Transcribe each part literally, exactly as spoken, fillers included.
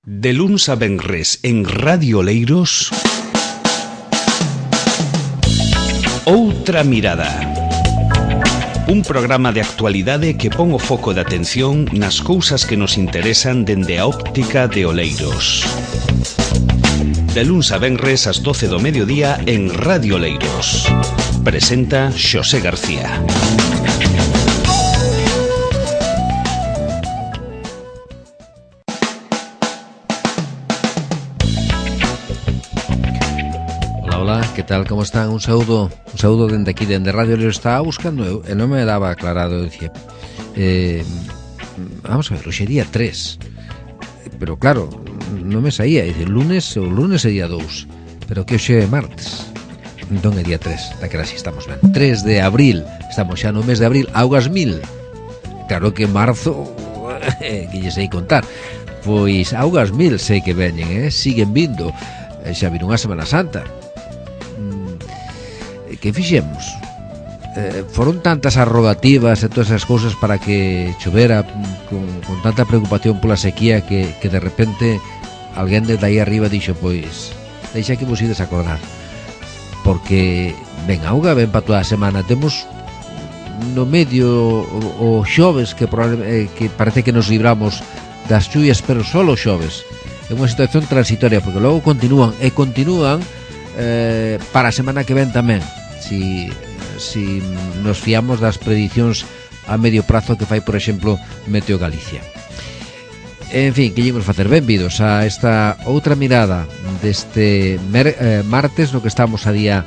De luns a venres en Radio Oleiros, Outra Mirada. Un programa de actualidade que pon o foco de atención nas cousas que nos interesan dende a óptica de Oleiros. De luns a venres ás doce do mediodía en Radio Oleiros. Presenta Xosé García. Hola, que tal, como están? Un saúdo, un saúdo dende aquí, dende Radio Oleiros. Estaba buscando eu, e non me daba aclarado, dicía, eh, vamos a ver, hoxe é día tres, pero claro, non me saía, dice, lunes, o lunes é día dous, pero que hoxe é martes, entón é día tres, daquela así estamos ben, tres de abril, estamos xa no mes de abril, augas mil, claro que marzo, que lle sei contar, pois augas mil sei que veñen, eh? Siguen vindo, xa viron a Semana Santa. Que fixemos? Eh, foron tantas as rogativas e todas esas cousas para que chovera con, con tanta preocupación pola sequía que, que de repente alguén desde aí arriba dixo, pois deixa que vos ides acordar, porque ven auga, ven para toda a semana. Temos no medio o, o xoves que, eh, que parece que nos libramos das chuvias, pero solo xoves. É unha situación transitoria, porque logo continúan e continúan eh, para a semana que ven tamén, si, si nos fiamos das predicións a medio prazo que fai, por exemplo, Meteo Galicia. En fin, que llevamos facer, benvidos a esta outra mirada deste mer, eh, martes, no que estamos a día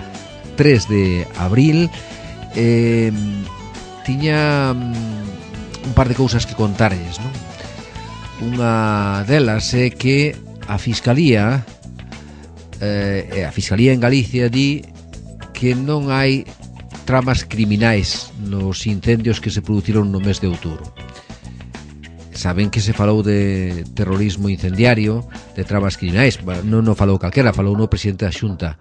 tres de abril. eh, Tiña un par de cousas que contarlles, non? Unha delas é que a Fiscalía eh, a Fiscalía en Galicia di que non hai tramas criminais nos incendios que se produciron no mes de outubro. Saben que se falou de terrorismo incendiario, de tramas criminais, non o falou calquera, falou no presidente da Xunta,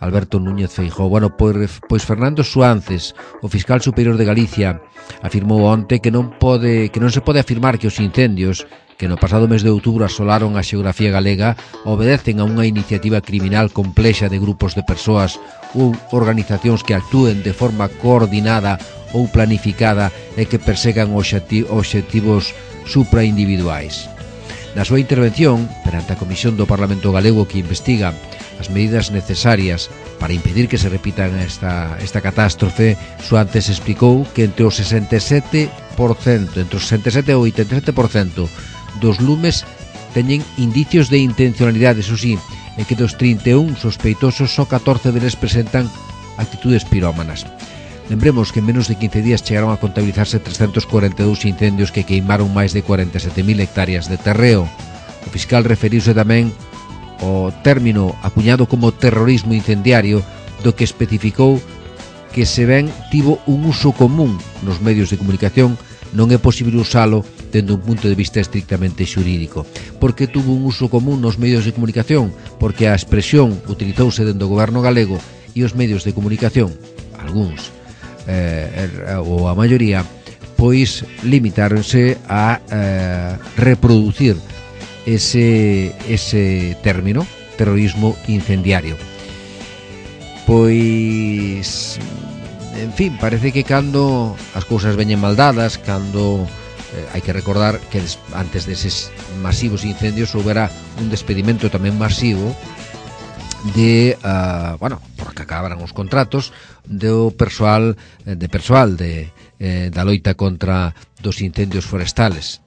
Alberto Núñez Feijóo. Bueno, pois, pois Fernando Suances, o fiscal superior de Galicia, afirmou onte que non pode, que non se pode afirmar que os incendios que no pasado mes de outubro asolaron a xeografía galega obedecen a unha iniciativa criminal complexa de grupos de persoas ou organizacións que actúen de forma coordinada ou planificada e que persegan obxectivos supraindividuais. Na súa intervención, perante a Comisión do Parlamento Galego que investiga as medidas necesarias para impedir que se repitan esta, esta catástrofe, Suantes explicou que entre o sesenta e sete por cento, entre o sesenta e sete e o oitenta e sete por cento dos lumes teñen indicios de intencionalidade, eso sí, e que dos trinta e un sospeitosos só catorce deles presentan actitudes pirómanas. Lembremos que en menos de quince días chegaron a contabilizarse trescentos cuarenta e dous incendios que queimaron máis de cuarenta e sete mil hectáreas de terreo. O fiscal referiuse tamén ao término acuñado como terrorismo incendiario, do que especificou que se ben tivo un uso común nos medios de comunicación, non é posible usalo dende un punto de vista estrictamente xurídico. Por que tuvo un uso común nos medios de comunicación? Porque a expresión utilizouse dentro do goberno galego e os medios de comunicación, algúns, eh, ou a maioría, pois limitaronse a eh, reproducir ese, ese término, terrorismo incendiario. Pois, en fin, parece que cando as cousas veñen mal dadas, cando eh, hai que recordar que des, antes deses masivos incendios houbera un despedimento tamén masivo de, uh, bueno, porque acabaran os contratos do persoal, de persoal de, eh, da loita contra dos incendios forestales.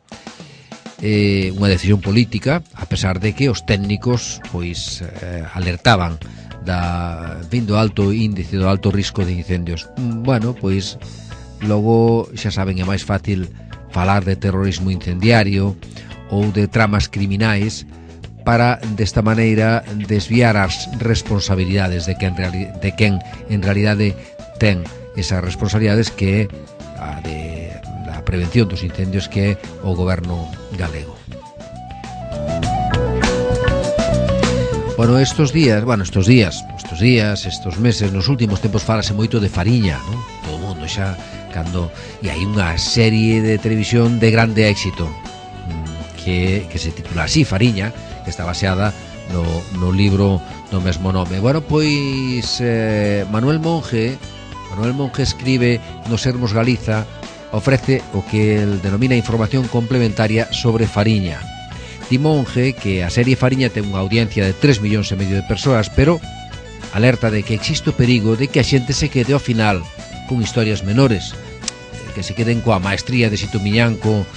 Eh, unha decisión política, a pesar de que os técnicos pois eh, alertaban da vindo alto índice, do alto risco de incendios. Bueno, pois logo xa saben, é máis fácil falar de terrorismo incendiario ou de tramas criminais para desta maneira desviar as responsabilidades de quen, de quen en realidade ten esas responsabilidades, que é a de a prevención dos incendios, que é o goberno galego. Bueno, estos días, bueno, estos días, estos días, estos meses, nos últimos tempos falase moito de Fariña, non? Todo o mundo xa cando e hai unha serie de televisión de grande éxito, que, que se titula así, Fariña, que está baseada no, no libro do mesmo nome. Bueno, pois eh, Manuel Monge Manuel Monge escribe no Sermos Galiza, ofrece o que el denomina información complementaria sobre Fariña. Di Monge que a serie Fariña ten unha audiencia de tres millóns e medio de persoas, pero alerta de que existe o perigo de que a xente se quede ao final con historias menores, que se queden coa maestría de Sito Miñanco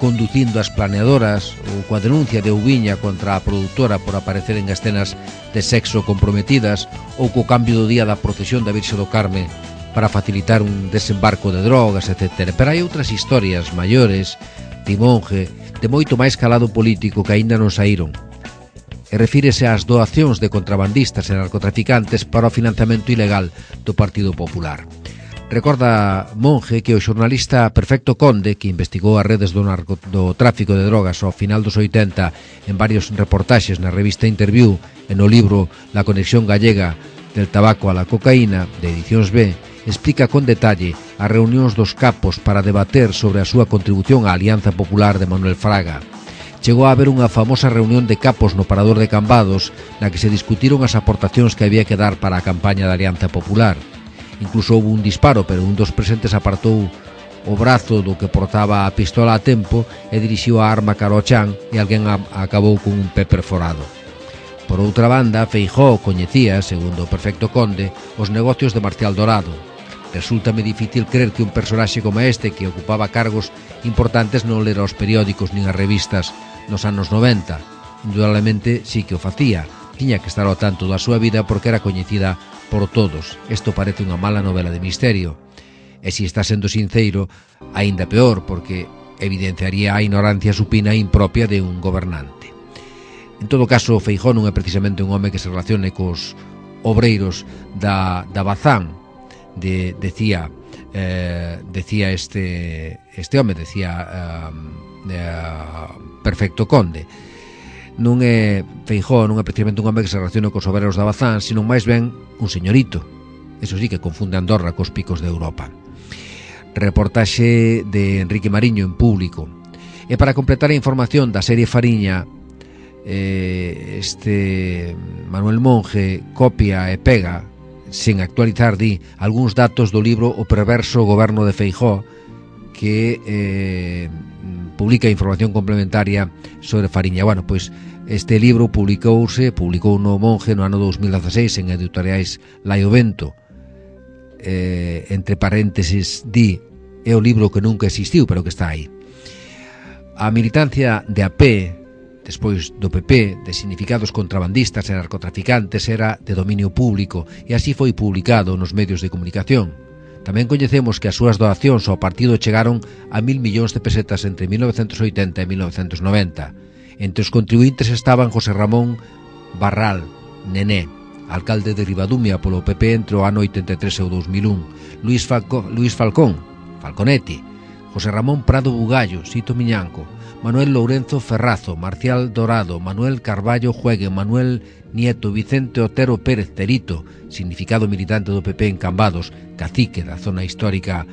conducindo as planeadoras ou coa denuncia de Ouviña contra a produtora por aparecer en escenas de sexo comprometidas ou co cambio do día da procesión da Virxe do Carme para facilitar un desembarco de drogas, etcétera. Pero hai outras historias maiores, de Monge, de moito máis calado político que aínda non saíron. E refírese ás doacións de contrabandistas e narcotraficantes para o financiamento ilegal do Partido Popular. Recorda Monge que o xornalista Perfecto Conde, que investigou as redes do, narco, do tráfico de drogas ao final dos oitenta en varios reportaxes na revista Interview e no libro La conexión gallega del tabaco a la cocaína, de Edicións B, explica con detalle as reunións dos capos para debater sobre a súa contribución á Alianza Popular de Manuel Fraga. Chegou a haber unha famosa reunión de capos no Parador de Cambados na que se discutiron as aportacións que había que dar para a campaña da Alianza Popular. Incluso houve un disparo, pero un dos presentes apartou o brazo do que portaba a pistola a tempo e dirixiu a arma cara ao chan e alguén a, acabou con un pé perforado. Por outra banda, Feijóo coñecía, segundo o Perfecto Conde, os negocios de Marcial Dorado. Resúltame difícil crer que un personaxe como este, que ocupaba cargos importantes, non lera os periódicos nin as revistas nos anos noventa. Indudablemente sí que o facía. Tiña que estar ao tanto da súa vida porque era coñecida por todos. Isto parece unha mala novela de misterio. E se está sendo sinceiro, aínda peor, porque evidenciaría a ignorancia supina e impropia de un gobernante. En todo caso, Feijóo non é precisamente un home que se relacione cos obreiros da, da Bazán, de, decía eh, decía este este home, decía eh, eh, Perfecto Conde. Non é Feijóo, non é precisamente un home que se relaciona cos obreros da Bazán, sino máis ben un señorito. Eso sí que confunde Andorra cos picos de Europa. Reportaxe de Enrique Mariño en Público. E para completar a información da serie Fariña, eh, este Manuel Monge copia e pega, sen actualizar, di, algúns datos do libro O perverso goberno de Feijóo, que eh, publica información complementaria sobre Fariña. Bueno, pois este libro publicouse, publicou no Monge no ano dous mil dezaseis en editoriais Lai o Vento. Eh, entre paréntesis, di, é o libro que nunca existiu, pero que está aí. A militancia de A P, despois do P P, de significados contrabandistas e narcotraficantes, era de dominio público e así foi publicado nos medios de comunicación. Tamén coñecemos que as súas doacións ao partido chegaron a mil millóns de pesetas entre mil novecentos oitenta e mil novecentos noventa. Entre os contribuintes estaban José Ramón Barral, Nené, alcalde de Ribadumia polo P P entre o ano oitenta e tres e o dous mil un, Luis, Falco, Luis Falcón, Falconetti, José Ramón Prado Bugallo, Sito Miñanco, Manuel Lourenzo Ferrazo, Marcial Dorado, Manuel Carballo Juegue, Manuel Nieto, Vicente Otero Pérez Terito, significado militante do P P en Cambados, cacique da zona histórica,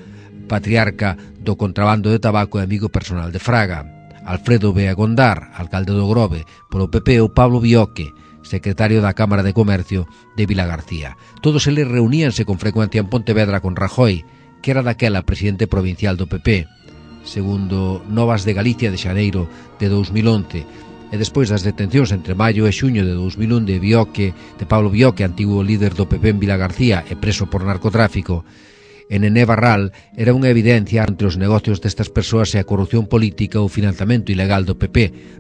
patriarca do contrabando de tabaco e amigo personal de Fraga, Alfredo Bea Gondar, alcalde do Grove, polo P P, o Pablo Bioque, secretario da Cámara de Comercio de Vilagarcía. Todos eles reuníanse con frecuencia en Pontevedra con Rajoy, que era daquela presidente provincial do P P, segundo Novas de Galicia de xaneiro de dous mil once, e despois das detencións entre maio e xuño de dous mil un de Bioque, de Pablo Bioque, antigo líder do P P en Vilagarcía e preso por narcotráfico, e Nené Barral, era unha evidencia entre os negocios destas persoas e a corrupción política ou financiamento ilegal do P P.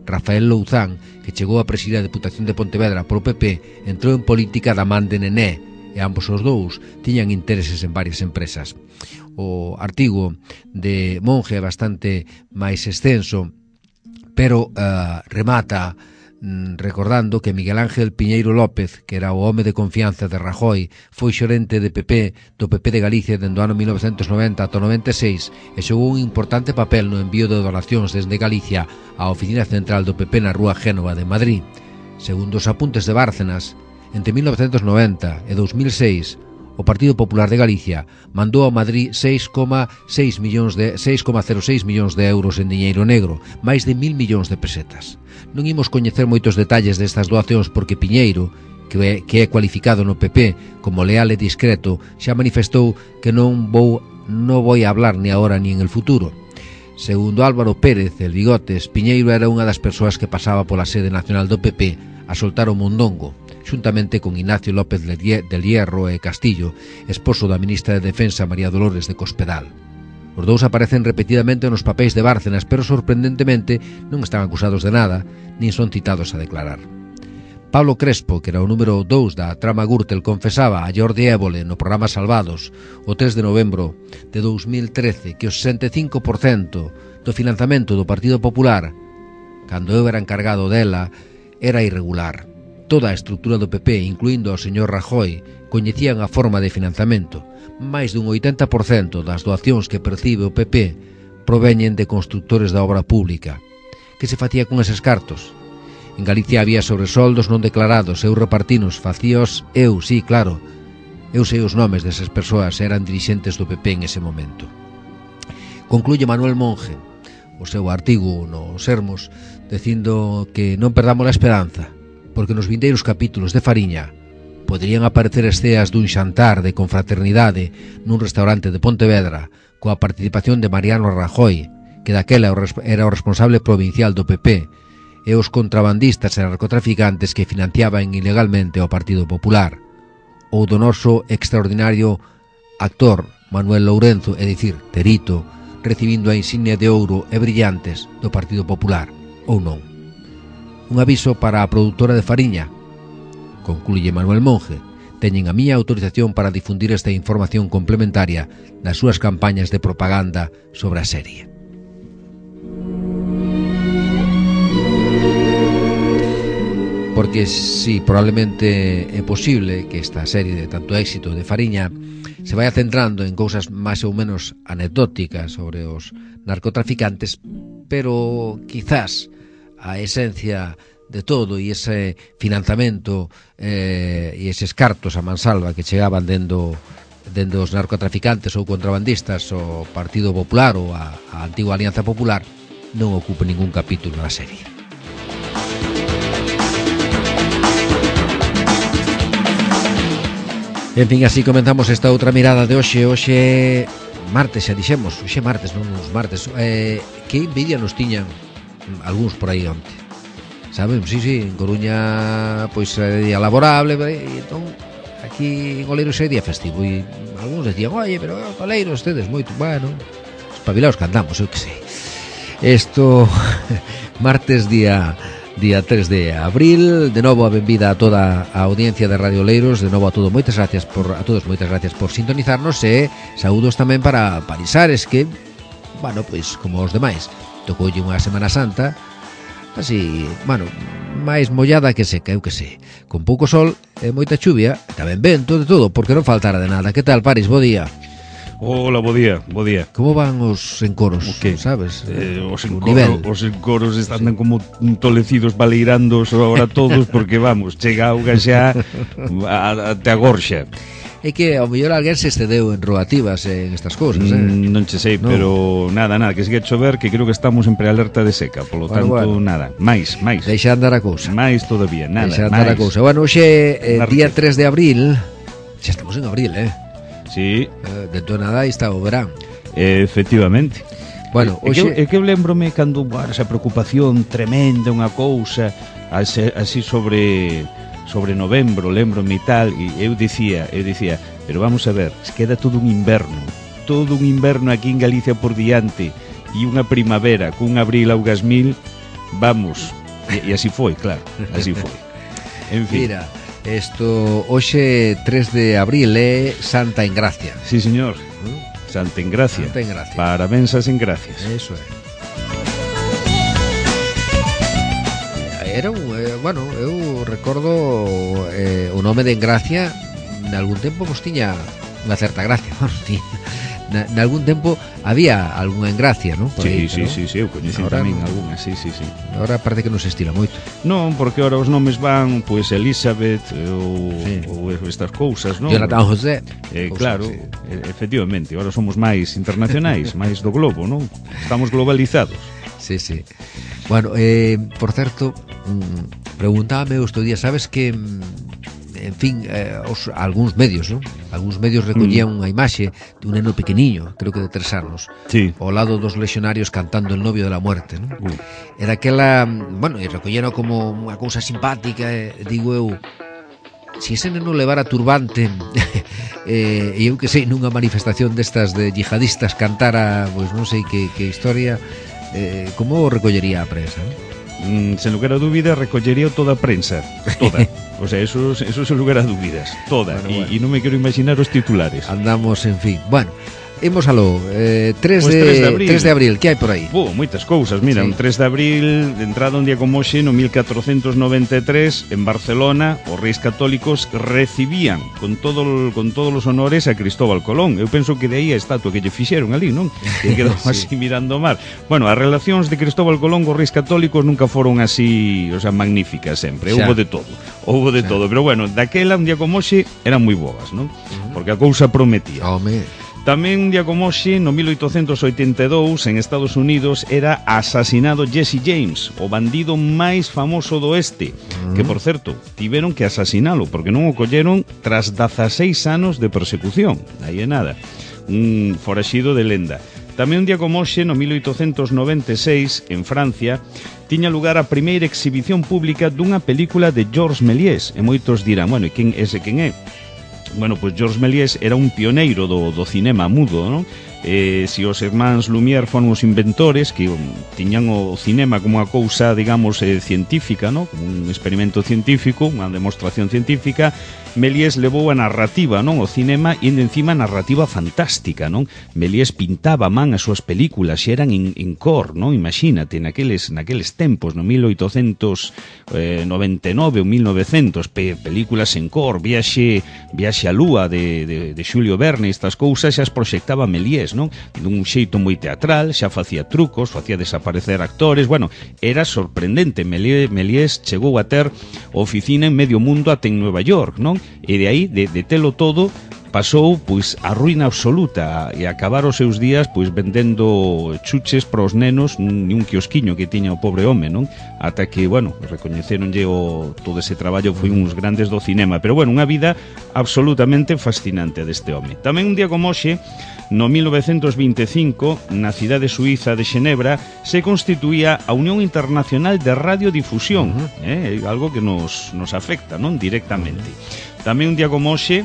Rafael Louzán, que chegou a presidir a Deputación de Pontevedra polo P P, entrou en política da man de Nené, e ambos os dous tiñan intereses en varias empresas. O artigo de Monge é bastante máis extenso, pero uh, remata mm, recordando que Miguel Ángel Piñeiro López, que era o home de confianza de Rajoy, foi xorente de P P do P P de Galicia dende o ano mil novecentos noventa ata o noventa e seis e xogou un importante papel no envío de donacións desde Galicia á oficina central do P P na rúa Génova de Madrid. Segundo os apuntes de Bárcenas, entre mil novecentos noventa e dous mil seis, o Partido Popular de Galicia mandou a Madrid seis coma seis millóns de seis coma cero seis millóns de euros en diñeiro negro, máis de mil millóns de pesetas. Non imos coñecer moitos detalles destas doacións porque Piñeiro, que é, que é cualificado no P P como leal e discreto, xa manifestou que non vou non vou a hablar ni agora ni en el futuro. Segundo Álvaro Pérez, el Bigotes, Piñeiro era unha das persoas que pasaba pola sede nacional do P P a soltar o mondongo, xuntamente con Ignacio López del Hierro e Castillo, esposo da ministra de Defensa María Dolores de Cospedal. Os dous aparecen repetidamente nos papéis de Bárcenas, pero sorprendentemente non están acusados de nada, nin son citados a declarar. Pablo Crespo, que era o número dous da trama Gürtel, confesaba a Jordi Évole no programa Salvados o tres de novembro de dous mil trece que o sesenta e cinco por cento do financiamento do Partido Popular, cando eu era encargado dela, era irregular. Toda a estrutura do P P, incluindo ao señor Rajoy, coñecían a forma de financiamento. Mais dun oitenta por cento das doacións que percibe o P P proveñen de constructores da obra pública. Que se facía con eses cartos? En Galicia había sobresoldos non declarados, eu repartinos, facíos eu, sí, claro. Eu sei os nomes desas persoas, eran dirixentes do P P en ese momento. Concluye Manuel Monge o seu artigo no Sermos dicindo que non perdamos a esperanza, porque nos vindeiros capítulos de Fariña poderían aparecer esceas dun xantar de confraternidade nun restaurante de Pontevedra coa participación de Mariano Rajoy, que daquela era o responsable provincial do P P, e os contrabandistas e narcotraficantes que financiaban ilegalmente o Partido Popular, ou do noso extraordinario actor Manuel Lourenzo, é dicir, Terito, recibindo a insignia de ouro e brillantes do Partido Popular, ou non. Un aviso para a produtora de Fariña, concluye Manuel Monge, teñen a miña autorización para difundir esta información complementaria nas súas campañas de propaganda sobre a serie. Porque si probablemente é posible que esta serie de tanto éxito de Fariña se vaya centrando en cousas máis ou menos anecdóticas sobre os narcotraficantes, pero quizás a esencia de todo e ese financiamento eh, e eses cartos a mansalva que chegaban dendo, dendo os narcotraficantes ou contrabandistas o Partido Popular ou a, a antigua Alianza Popular non ocupe ningún capítulo na serie. En fin, así comenzamos esta outra mirada de hoxe. Hoxe martes, xa dixemos, hoxe martes, non uns martes. Eh, que envidia nos tiñan algúns por aí onte. Saben, sí, sí, en Coruña pois é día laborable, e entón aquí en Oleiros é día festivo e algúns decían, oye, pero Oleiros tedes moito, bueno, espabilaos que andamos, eu que sei. Isto martes día día tres de abril, de novo a benvida a toda a audiencia de Radio Oleiros, de novo a todos, moitas gracias por a todos, moitas gracias por sintonizarnos e saúdos tamén para Parisares que, bueno, pois como os demais, tocoulle unha Semana Santa así, bueno, máis mollada que seca, eu que sei, con pouco sol e moita chuvia, tamén vento de todo, porque non faltara de nada. Que tal, Paris? Bo día. Hola, bo día, bo día. Como van os encoros, o que? Sabes? Eh, os, encoro, os encoros están sí. como tolecidos baleirando ahora todos porque, vamos, chega auga xa até a gorxa. É que ao mellor alguén se excedeu en rogativas en estas cousas, eh? Mm, non che sei, no. Pero nada, nada, que sigue a chover, que creo que estamos en prealerta de seca, polo bueno, tanto, bueno. nada, máis, máis. Deixa andar a cousa. Máis todavía, nada, Deixa andar máis. a cousa. Bueno, hoxe, eh, día tres de abril, xa estamos en abril, eh? Sí. Eh, dentro de nada aí está o verán. Efectivamente. Bueno, é, hoxe... que, é que eu lembrome cando bueno, esa preocupación tremenda, unha cousa así, así sobre sobre novembro, lembrome e tal, e eu dicía, eu dicía, pero vamos a ver, queda todo un inverno, todo un inverno aquí en Galicia por diante e unha primavera cun abril augas mil, vamos, e, e así foi, claro, así foi. En fin. Mira, isto hoxe tres de abril é Santa Engracia. Sí, señor. Santa Engracia. Santa Engracia. Parabéns as engracias. Eso é. Era un, eh, bueno, eu recordo eh, o nome de Engracia en algún tempo pois tiña unha certa gracia, bueno, tiña, na, na algún tempo había algunha engracia, non? Sí, aí, sí, sí, sí, eu coñecen tamén no, algunha, sí, sí, sí. Agora parece que non se estila moito. Non, porque ahora os nomes van, pois, Elizabeth ou, sí. ou estas cousas, non? Jonathan José. Eh, claro, sí. Efectivamente, agora somos máis internacionais, máis do globo, non? Estamos globalizados. Sí, sí. Bueno, eh, por certo, mm, preguntábame estes días, sabes que... en fin, eh, os, algúns medios, non? Algúns medios recollían mm. unha imaxe de un neno pequeniño, creo que de tres anos, sí. ao lado dos lexionarios cantando El novio de la muerte, non? Mm. Era aquela, bueno, e recolleno como unha cousa simpática, eh, digo eu, si ese neno levara turbante eh, e eu que sei, nunha manifestación destas de yihadistas cantara, pois non sei que, que historia, eh, como o recollería a prensa, non? Mm, sen lugar a dúbida, recollería toda a prensa, toda. O sea, eso, eso sen lugar a dúbidas, toda. Bueno, y, bueno. y non me quero imaginar os titulares. Andamos, en fin. Bueno, imos aló, eh, tres, pues de, tres de abril. tres de abril, que hai por aí? Oh, moitas cousas, mira, sí. Un tres de abril, de entrada un día como hoxe, no mil catrocentos noventa e tres, en Barcelona, os reis católicos recibían con todo con todos os honores a Cristóbal Colón. Eu penso que de aí a estatua que lle fixeron ali, non? Que quedou sí. así mirando o mar. Bueno, as relacións de Cristóbal Colón cos reis católicos nunca foron así, o sea, magníficas sempre. Houbo de todo, houbo de Xa. todo. Pero bueno, daquela, un día como hoxe, eran moi boas, non? Uh-huh. Porque a cousa prometía. Home... Tamén un día como hoxe, no mil oitocentos oitenta e dous, en Estados Unidos, era asasinado Jesse James, o bandido máis famoso do oeste, mm. que, por certo, tiveron que asasinalo, porque non o colleron tras dezaseis anos de persecución. Aí é nada. Un foraxido de lenda. Tamén un día como hoxe, no mil oitocentos noventa e seis, en Francia, tiña lugar a primeira exhibición pública dunha película de Georges Méliès. E moitos dirán, bueno, e quen ese quen é? Bueno, pois Georges Méliès era un pioneiro do, do cinema mudo, non? Eh, si os irmáns Lumière foron os inventores que um, tiñan o cinema como unha cousa, digamos, eh, científica, non? Como un experimento científico, unha demostración científica, Méliès levou a narrativa, non? O cinema, e encima narrativa fantástica, non? Méliès pintaba a man as súas películas e eran en, en cor, non? Imagínate, naqueles, naqueles tempos, no mil oitocentos noventa e nove ou mil novecentos, pe, películas en cor, Viaxe, Viaxe a Lúa de, de, de Xulio Verne, estas cousas xa as proxectaba Méliès, non? Dun xeito moi teatral, xa facía trucos, facía desaparecer actores, bueno, era sorprendente. Méliès, Méliès chegou a ter oficina en medio mundo até en Nueva York, non? E de aí, de, de telo todo, pasou, pois, a ruína absoluta e acabar os seus días, pois, vendendo chuches para os nenos nun un quiosquiño que tiña o pobre home, non? Ata que, bueno, recoñeceronlle o, todo ese traballo, foi uns grandes do cinema. Pero, bueno, unha vida absolutamente fascinante deste home. Tamén un día como hoxe, no mil novecentos vinte e cinco, na cidade suiza de Xenebra, se constituía a Unión Internacional de Radiodifusión, uh-huh. eh? Algo que nos, nos afecta, non? Directamente. Tamén un día como hoxe,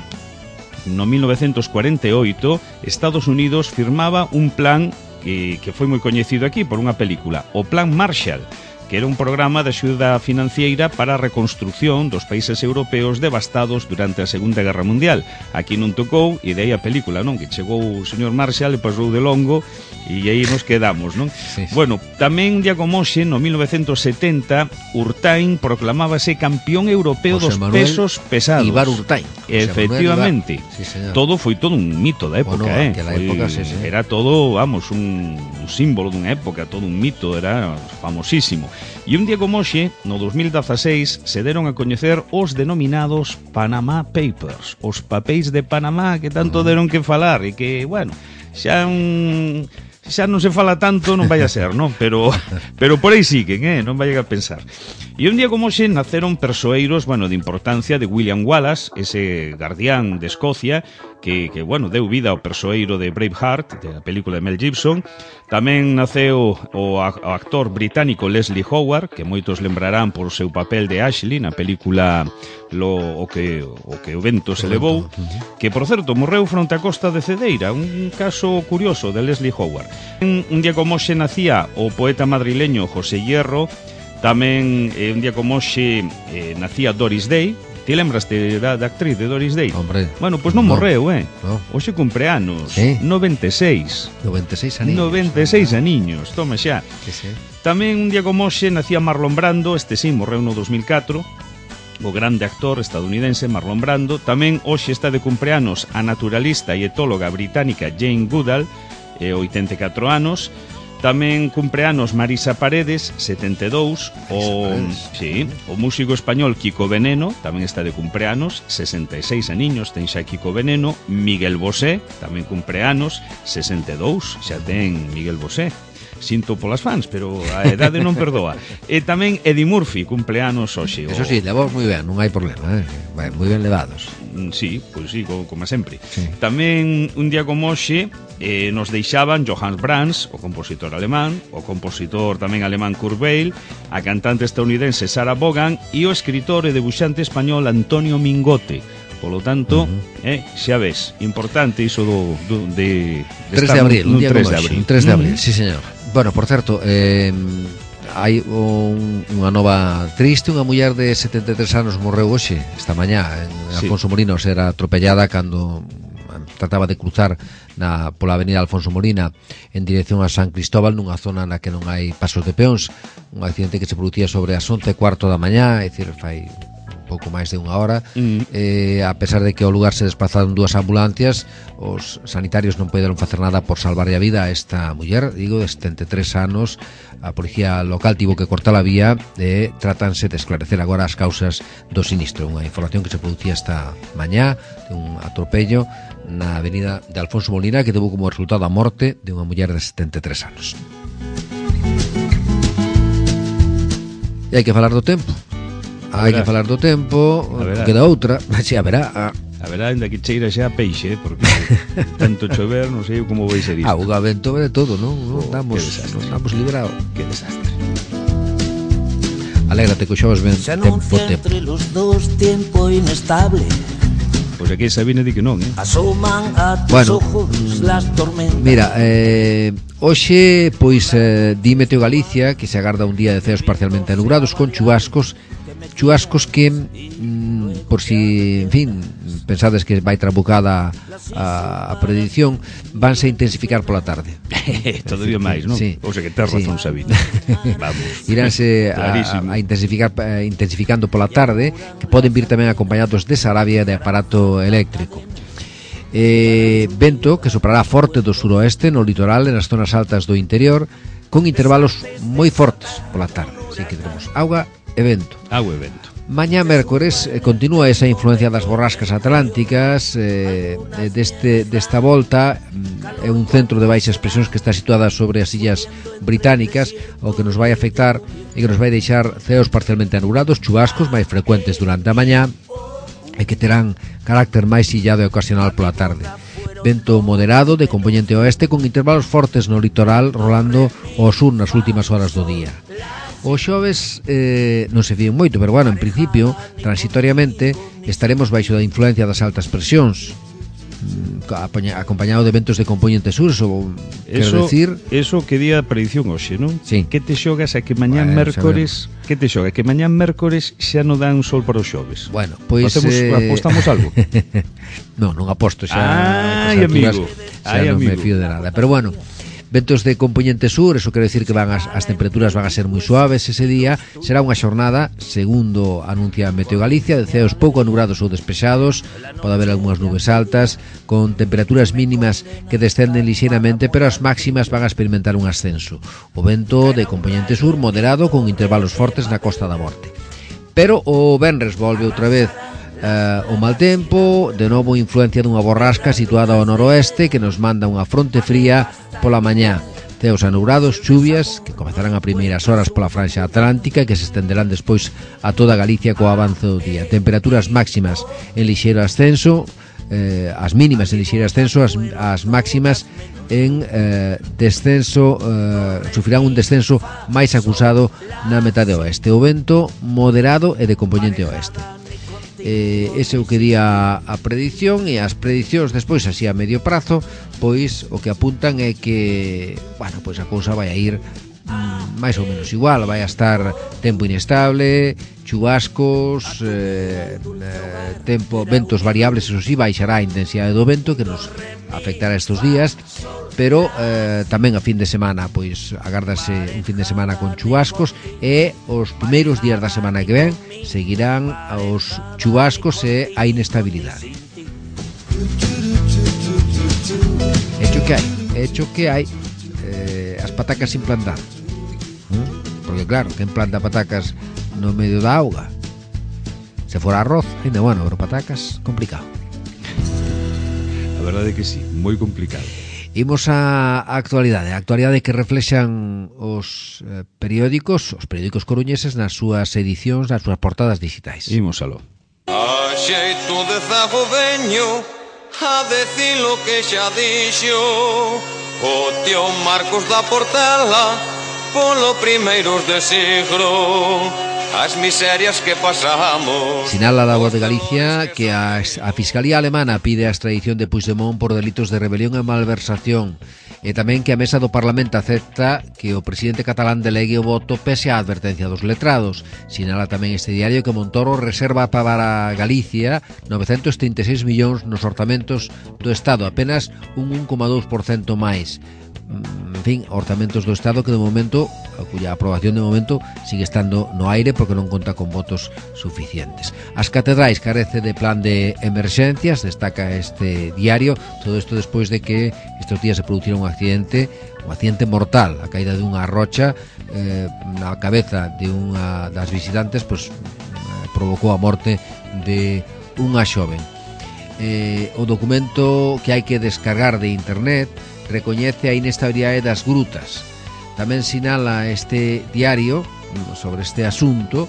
no mil novecentos cuarenta e oito, Estados Unidos firmaba un plan que, que foi moi coñecido aquí por unha película, o Plan Marshall, que era un programa de axuda financiera para a reconstrucción dos países europeos devastados durante a Segunda Guerra Mundial. Aquí non tocou, e de aí a película, non? Que chegou o señor Marshall e pasou de longo, e aí nos quedamos, non? Sí, sí. Bueno, tamén un día como hoxe, no mil novecentos setenta, Urtain proclamábase campeón europeo José dos Manuel pesos pesados. Ibar Urtain. Efectivamente. Sí, todo foi todo un mito da época, bueno, eh? Foi, época, sí, sí. Era todo, vamos, un, un símbolo dunha época, todo un mito, era famosísimo. E un día como hoxe, no dos mil dezaseis, se deron a coñecer os denominados Panama Papers, os papéis de Panamá que tanto deron que falar e que, bueno, xa un... xa non se fala tanto, non vai a ser, non? Pero, pero por aí siguen, eh? Non vai a pensar. E un día como hoxe naceron persoeiros, bueno, de importancia de William Wallace, ese guardián de Escocia, que, que bueno, deu vida ao persoeiro de Braveheart, de a película de Mel Gibson. Tamén naceu o, o actor británico Leslie Howard, que moitos lembrarán por o seu papel de Ashley na película lo, o, que, o que o vento se levou, que, por certo, morreu fronte á costa de Cedeira, un caso curioso de Leslie Howard. Un, un día como hoxe nacía o poeta madrileño José Hierro. Tamén eh, un día como hoxe eh, nacía Doris Day. Ti lembraste da, da actriz de Doris Day? Hombre, bueno, pois pues non no, morreu, eh? No. Hoxe cumpre anos, ¿Eh? noventa e seis. noventa e seis aniños. noventa e seis aniños, toma xa. Que sí. Tamén un día como hoxe nacía Marlon Brando, este sí, morreu no dos mil catro. o grande actor estadounidense Marlon Brando. Tamén hoxe está de cumpleanos a naturalista e etóloga británica Jane Goodall, e oitenta e catro anos. Tamén cumpleanos Marisa Paredes, setenta e dous. O, sí, o músico español Kiko Veneno tamén está de cumpleanos, sesenta e seis aniños ten xa Kiko Veneno. Miguel Bosé tamén cumpleanos, sesenta e dous, xa ten Miguel Bosé. Sinto polas fans, pero a edade non perdoa. E tamén Eddie Murphy, cumpleanos hoxe. Eso sí, levamos moi ben, non hai problema, eh? Vai, moi ben levados. Sí, pois sí, como, como sempre. Sí. Tamén un día como hoxe eh, nos deixaban Johannes Brahms, o compositor alemán, o compositor tamén alemán Kurt Weill, a cantante estadounidense Sarah Vaughan e o escritor e debuxante español Antonio Mingote. Polo tanto, uh-huh. eh, xa ves, importante iso do, do de, de tres de abril, un día como hoxe, un tres de abril, mm. sí señor. Bueno, por certo, eh, hai un, unha nova triste, unha muller de setenta e tres anos morreu hoxe, esta mañá, en sí. Alfonso Molinos, era atropellada cando trataba de cruzar na, pola avenida Alfonso Molina en dirección a San Cristóbal, nunha zona na que non hai pasos de peóns. Un accidente que se producía sobre as once e cuarto da mañá, é dicir, fai pouco máis de unha hora. mm. eh, a pesar de que ao lugar se desplazaron dúas ambulancias, os sanitarios non poderon facer nada por salvarlle a vida a esta muller, digo, de setenta e tres anos. A policía local tivo que cortar a vía e tratanse de esclarecer agora as causas do sinistro. Unha información que se producía esta mañá de un atropello na avenida de Alfonso Molina que tuvo como resultado a morte de unha muller de setenta e tres anos. E hai que falar do tempo. Hai que falar do tempo, queda outra, si, a verá. A, a verá, ainda que cheira xa peixe, porque tanto chover, non sei como vai ser isto. Ah, o vento de todo, non? Non oh, estamos, non estamos librados. Que desastre. Alégrate que xovas ven tempo, tempo. Entre los dos tiempo inestable. Pois aquí Sabine di que non, eh? Asoman a tus bueno, ojos las tormentas. Mira, eh, hoxe, pois, eh, di Meteo Galicia que se agarda un día de ceos parcialmente nubrados con chubascos chubascos que, mm, por si, en fin, pensades que vai trabucada a, a predicción, vanse a intensificar pola tarde. Todavía máis, non? Sí. O sea que tes razón, sí. Sabine. Vamos. Iránse a, a intensificar eh, intensificando pola tarde, que poden vir tamén acompañados de sarabia e de aparato eléctrico. Eh, vento que soprará forte do suroeste no litoral e nas zonas altas do interior, con intervalos moi fortes pola tarde. Así que tenemos auga e vento. Agua e vento. Mañá mércores eh, continúa esa influencia das borrascas atlánticas. eh, deste, desta volta é un centro de baixas presións que está situada sobre as illas británicas, o que nos vai afectar e que nos vai deixar ceos parcialmente anulados, chubascos máis frecuentes durante a mañá e que terán carácter máis illado e ocasional pola tarde. Vento moderado de componente oeste con intervalos fortes no litoral, rolando ao sur nas últimas horas do día. O xoves eh, non se fíen moito, pero bueno, en principio, transitoriamente, estaremos baixo da influencia das altas presións, acompañado de ventos de componente sur. Eso, quero decir... Eso que día a predicción hoxe, non? Sí. Que te xogas a que mañán bueno, mércores... Que te xoga? Que mañán mércores xa non dan sol para os xoves. Bueno, pois... Hacemos, eh... apostamos algo? non, non aposto xa. Ai, amigo. Xa Ai, non amigo. me fío de nada. Pero bueno... Ventos de componente sur, eso quere decir que van as, as temperaturas van a ser moi suaves ese día. Será unha xornada, segundo anuncia Meteo Galicia, de ceos pouco anubrados ou despexados. Pode haber algunhas nubes altas, con temperaturas mínimas que descenden lixeiramente, pero as máximas van a experimentar un ascenso. O vento de componente sur moderado, con intervalos fortes na Costa da Morte. Pero o venres volve outra vez Uh, o mal tempo, de novo influencia dunha borrasca situada ao noroeste que nos manda unha fronte fría pola mañá. Ceos anubrados, chuvias que comezarán a primeiras horas pola franxa atlántica e que se estenderán despois a toda Galicia co avance do día. Temperaturas máximas en lixeiro ascenso, eh, as mínimas en lixeiro ascenso, as, as máximas en eh, descenso, eh, sufrirán un descenso máis acusado na metade oeste. O vento moderado e de componente oeste. Eh, ese é o que di a, a predicción, e as prediccións despois así a medio prazo, pois o que apuntan é que, bueno, pois a cousa vai a ir mm, máis ou menos igual, vai a estar tempo inestable, chubascos, eh, eh, tempo, ventos variables, eso sí, baixará a intensidade do vento que nos afectará estes días, pero eh, tamén a fin de semana pois agárdase un fin de semana con chubascos, e os primeiros días da semana que ven seguirán os chubascos e a inestabilidade. Hecho que hai, hecho que hai eh, as patacas sin plantar, ¿eh? Porque claro, quen planta patacas no medio da auga? Se fora arroz, ainda bueno, pero patacas, complicado. A verdade é que sí, moi complicado. Imos a, a actualidade, a actualidade que reflexan os eh, periódicos, os periódicos coruñeses nas súas edicións, nas súas portadas digitais. Imos aló. A xeito de zago veño a decir lo que xa dixo o tío Marcos da Portela polo primeiros de siglo, as miserias que pasamos. Sinala la Voz de Galicia que a, a Fiscalía Alemana pide a extradición de Puigdemont por delitos de rebelión e malversación, e tamén que a Mesa do Parlamento acepta que o presidente catalán delegue o voto pese á advertencia dos letrados. Sinala tamén este diario que Montoro reserva para Galicia novecentos trinta e seis millóns nos orzamentos do Estado, apenas un un coma dous por cento máis. En fin, orzamentos do Estado que de momento, a cuya aprobación de momento sigue estando no aire porque non conta con votos suficientes. As catedrais carece de plan de emerxencias, destaca este diario, todo isto despois de que estes días se producira un accidente, un accidente mortal, a caída de unha rocha eh, na cabeza de unha das visitantes, pois eh, provocou a morte de unha xoven. Eh, o documento que hai que descargar de internet recoñece a inestabilidade das grutas. Tamén sinala este diario sobre este asunto,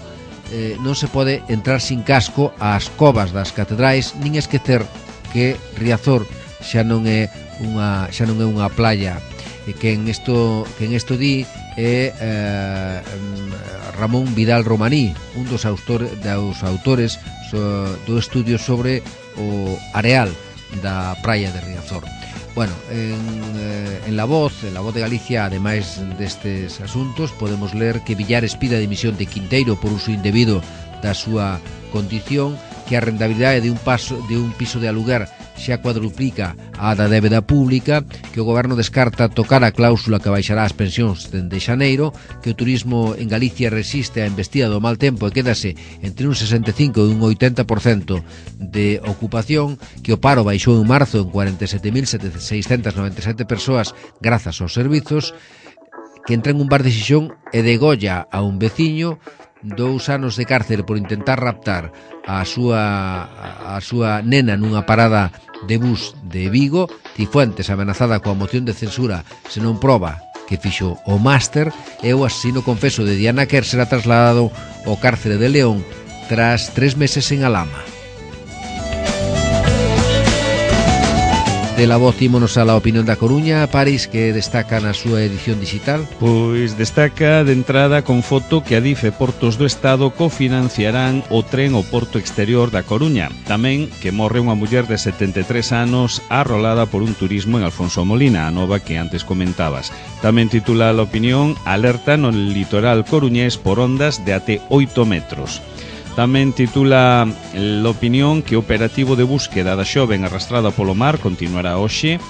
eh, non se pode entrar sin casco ás covas das catedrais, nin esquecer que Riazor xa non é unha xa non é unha playa, e que en isto que en isto di é eh, Ramón Vidal Romaní, un dos autores dos autores so, do estudio sobre o areal da praia de Riazor. Bueno, en, eh, en La Voz, en La Voz de Galicia, ademais destes asuntos, podemos ler que Villares pide a dimisión de Quinteiro por uso indebido da súa condición, que a rentabilidade de un paso de un piso de aluguer xa cuadruplica a da débeda pública, que o goberno descarta tocar a cláusula que baixará as pensións dende xaneiro, que o turismo en Galicia resiste a embestida do mal tempo e quédase entre un sesenta e cinco e un oitenta por cento de ocupación, que o paro baixou en marzo en cuarenta e sete mil seiscentas noventa e sete persoas grazas aos servizos, que entra en un bar de Xixón e degolla a un veciño, dous anos de cárcere por intentar raptar a súa a súa nena nunha parada de bus de Vigo, Cifuentes amenazada coa moción de censura se non proba que fixo o máster, e o asesino confeso de Diana Kerr será trasladado ao cárcere de León tras tres meses en Alhama. De La Voz ímonos a La Opinión da Coruña, París, que destaca na súa edición digital. Pois destaca de entrada con foto que Adif e Portos do Estado cofinanciarán o tren ao porto exterior da Coruña. Tamén que morre unha muller de setenta e tres anos arrolada por un turismo en Alfonso Molina, a nova que antes comentabas. Tamén titula La Opinión, alerta no litoral coruñés por ondas de até oito metros. Tamén titula L'Opinión que o operativo de búsqueda da xoven arrastrada polo mar continuará hoxe,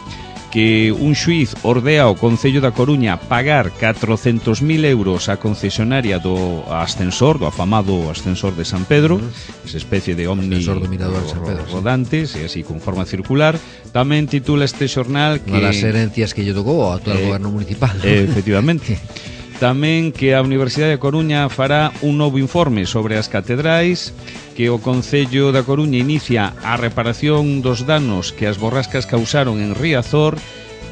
que un xuiz ordea ao Concello da Coruña pagar catrocentos mil euros á concesionaria do ascensor, do afamado ascensor de San Pedro, esa especie de omni ascensor do mirador de San Pedro, rodantes, e así con forma circular. Tamén titula este xornal que unha das herencias que lle tocou ao actual eh, goberno municipal. Eh, efectivamente. Tamén que a Universidade da Coruña fará un novo informe sobre as catedrais, que o Concello da Coruña inicia a reparación dos danos que as borrascas causaron en Riazor,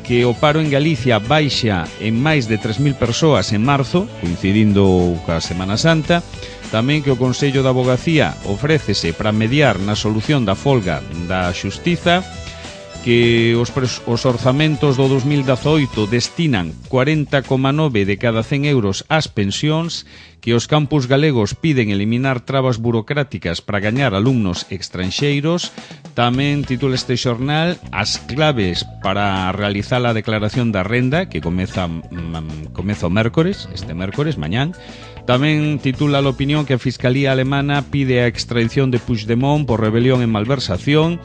que o paro en Galicia baixa en máis de tres mil persoas en marzo, coincidindo ca Semana Santa. Tamén que o Consello da Avogacía ofrécese para mediar na solución da folga da Xustiza, que os, os orzamentos do dos mil dezaoito destinan cuarenta coma nove de cada cen euros ás pensións, que os campus galegos piden eliminar trabas burocráticas para gañar alumnos extranxeiros. Tamén titula este xornal as claves para realizar a declaración da renda, que comeza, mm, comeza o mércores, este mércores, mañán. Tamén titula a opinión que a Fiscalía Alemana pide a extradición de Puigdemont por rebelión e malversación,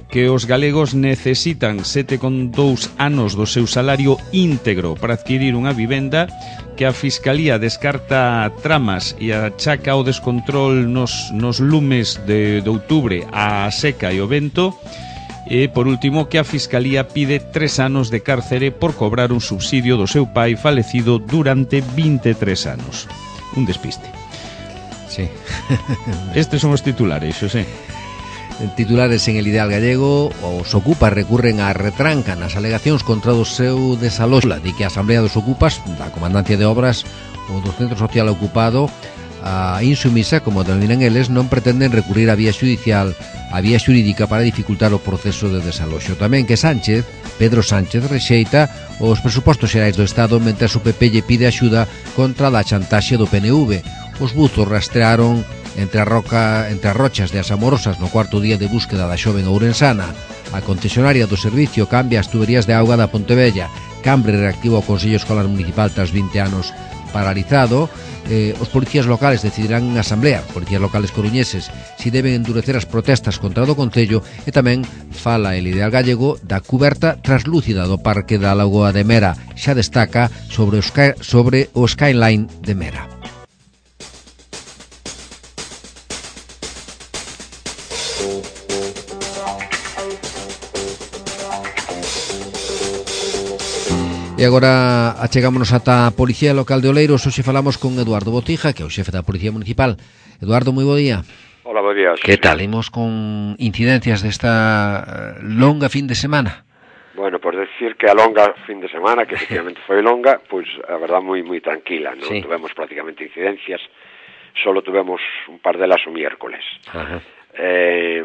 que os galegos necesitan sete con dous anos do seu salario íntegro para adquirir unha vivenda, que a Fiscalía descarta tramas e achaca o descontrol nos, nos lumes de, de outubro a seca e o vento. E, por último, que a Fiscalía pide tres anos de cárcere por cobrar un subsidio do seu pai falecido durante vinte e tres anos. Un despiste. Sí. Estes son os titulares, Xosé. Titulares en el Ideal Gallego. Os ocupas recurren á retranca nas alegacións contra o seu desaloxo. Di que a Asamblea dos Ocupas da Comandancia de Obras ou do Centro Social Ocupado, a insumisa, como denominan eles, non pretenden recurrir a vía judicial, a vía xurídica para dificultar o proceso de desaloxo. Tamén que Sánchez, Pedro Sánchez, rexeita os presupostos xerais do Estado, mentre o P P lle pide axuda contra a chantaxe do P N V. Os buzos rastrearon entre a roca, entre as rochas de As Amorosas no cuarto día de búsqueda da xoven ourensana. A concesionaria do servicio cambia as tuberías de auga da Pontevella. Cambre reactiva o Consello Escolar Municipal tras vinte anos paralizado. Eh, os policías locales decidirán en asamblea, policías locales coruñeses, si deben endurecer as protestas contra o do Concello. E tamén fala el Ideal Gallego da cuberta translúcida do Parque da Lagoa de Mera. Xa destaca sobre o, sky, sobre o skyline de Mera. E agora achegámonos ata a Policía Local de Oleiros. Hoxe falamos con Eduardo Botija, que é o xefe da Policía Municipal. Eduardo, moi bo día. Hola, bo día. Que tal? Imos con incidencias desta longa fin de semana. Bueno, por decir que a longa fin de semana, que efectivamente foi longa, pois pues, a verdad moi moi tranquila, non sí. Tuvemos prácticamente incidencias, solo tuvemos un par delas o miércoles. Ajá. Eh,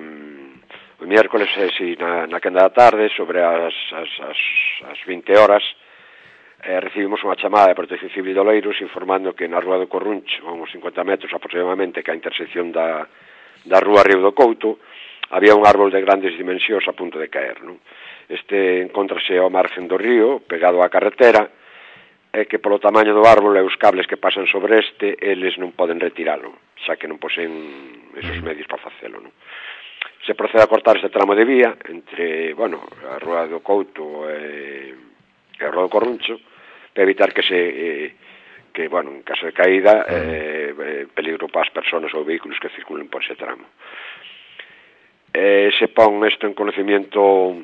o miércoles, eh, si, na, na quenda da tarde, sobre as, as, as, as vinte horas, Eh, recibimos unha chamada de Protección Civil de Oleiros informando que na Rúa do Corruncho, a uns cincuenta metros aproximadamente, que a intersección da, da Rúa Río do Couto, había un árbol de grandes dimensións a punto de caer, non? Este encontrase ao margen do río, pegado á carretera, e que polo tamaño do árbol e os cables que pasan sobre este, eles non poden retiralo, xa que non poseen esos medios para facelo, non? Se procede a cortar este tramo de vía entre, bueno, a Rúa do Couto e, e a Rúa do Corruncho, para evitar que se eh, que, bueno, en caso de caída eh, eh, peligro para as persoas ou vehículos que circulen por ese tramo. Eh, se pon isto en conocimiento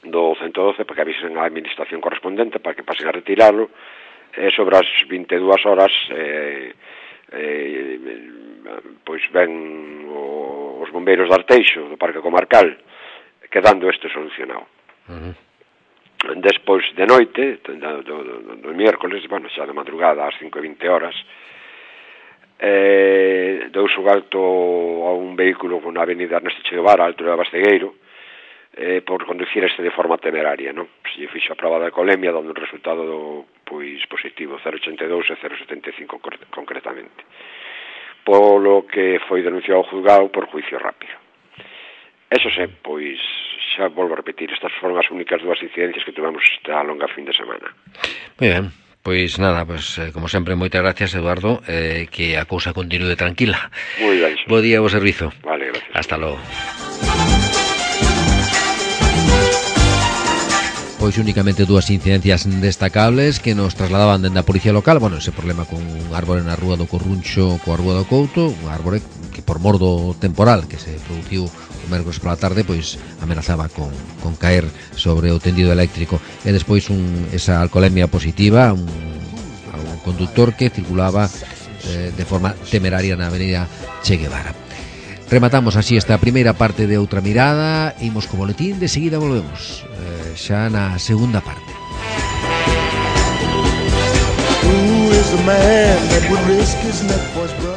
do ciento doce para que avisen a administración correspondente para que pasen a retirarlo. Eh, sobre as vinte e dúas horas eh, eh, pois ven o, os bombeiros de Arteixo do Parque Comarcal quedando isto solucionado. Uh-huh. Despois de noite, do, do, do, do miércoles, bueno, xa de madrugada, ás cinco e vinte horas, eh, deuse o alto a un vehículo na avenida Ernesto Che Guevara, a altura de Bastegueiro, eh, por conducir este de forma temeraria, non? Se fixo a prova de alcoholemia, dando un resultado do, pois, positivo, cero vírgula ochenta e dous e cero vírgula setenta e cinco concretamente. Polo que foi denunciado ao juzgado por juicio rápido. Eso se, pois, xa volvo a repetir, estas foron as únicas dúas incidencias que tivemos esta longa fin de semana. Moi ben, pois nada, pois, eh, como sempre, moitas gracias, Eduardo, eh, que a cousa continúe tranquila. Moi ben. Bo día ao servizo. Vale, gracias. Hasta logo. Pois únicamente dúas incidencias destacables que nos trasladaban dende a Policía Local. Bueno, ese problema con un árbore na Rúa do Corruncho coa Rúa do Couto, un árbore que por mor do temporal que se produciu o mércores pola tarde, pois amenazaba con, con caer sobre o tendido eléctrico. E despois un, esa alcoholemia positiva, un, un conductor que circulaba eh, de forma temeraria na avenida Che Guevara. Rematamos así esta primeira parte de Outra Mirada. Imos co boletín, de seguida volvemos eh, xa na segunda parte. Who is the man that would risk his neck for his brother?